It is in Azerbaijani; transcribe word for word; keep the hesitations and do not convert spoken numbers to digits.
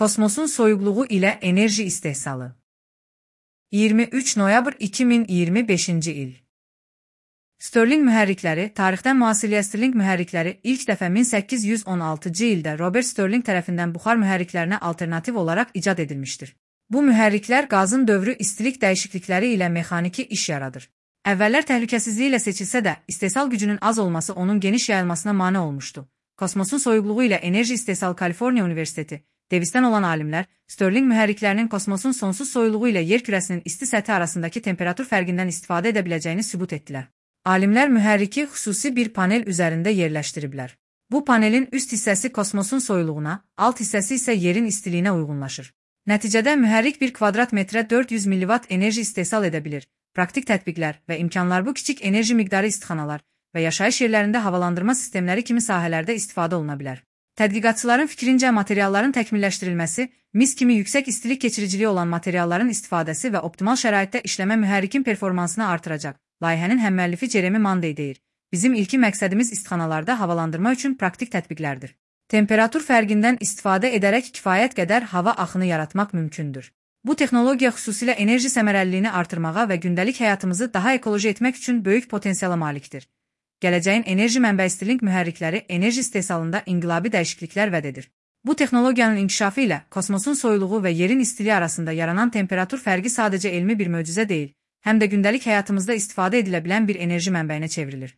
Kosmosun soyuqluğu ilə enerji istehsalı. iyirmi üç noyabr iki min iyirmi beşinci il. Stirling mühərrikləri, tarixdən müasirliyə Stirling mühərrikləri ilk dəfə min səkkiz yüz on altıncı ildə Robert Stirling tərəfindən buxar mühərriklərinə alternativ olaraq icad edilmişdir. Bu mühərriklər qazın dövrü istilik dəyişiklikləri ilə mexaniki iş yaradır. Əvvəllər təhlükəsizliyi ilə seçilsə də, istehsal gücünün az olması onun geniş yayılmasına mane olmuşdu. Kosmosun soyuqluğu ilə enerji istehsalı Kaliforniya Universiteti, Davis'dən olan alimlər, Stirling mühərriklərinin kosmosun sonsuz soyuluğu ilə yer kürəsinin isti səthi arasındakı temperatur fərqindən istifadə edə biləcəyini sübut etdilər. Alimlər mühərriki xüsusi bir panel üzərində yerləşdiriblər. Bu panelin üst hissəsi kosmosun soyuluğuna, alt hissəsi isə yerin istiliyinə uyğunlaşır. Nəticədə mühərrik bir kvadrat metrə dörd yüz milliwatt enerji istehsal edə bilir. Praktik tətbiqlər və imkanlar bu kiçik enerji miqdarı istixanalar və yaşayış yerlərində havalandırma sistemləri kimi sahələrdə istifadə oluna bilər. Tədqiqatçıların fikrincə materialların təkmilləşdirilməsi, mis kimi yüksək istilik keçiriciliyi olan materialların istifadəsi və optimal şəraitdə işləmə mühərrikin performansını artıracaq. Layihənin həmməllifi Jeremy Monday deyir. Bizim ilki məqsədimiz istixanalarda havalandırma üçün praktik tətbiqlərdir. Temperatur fərqindən istifadə edərək kifayət qədər hava axını yaratmaq mümkündür. Bu texnologiya xüsusilə enerji səmərəliliyini artırmağa və gündəlik həyatımızı daha ekoloji etmək üçün böyük potensiala malikdir. Gələcəyin enerji mənbəyi Stirling mühərrikləri enerji istehsalında inqilabi dəyişikliklər vəd edir. Bu texnologiyanın inkişafı ilə kosmosun soyuluğu və yerin istiliyi arasında yaranan temperatur fərqi sadəcə elmi bir möcüzə deyil, həm də gündəlik həyatımızda istifadə edilə bilən bir enerji mənbəyinə çevrilir.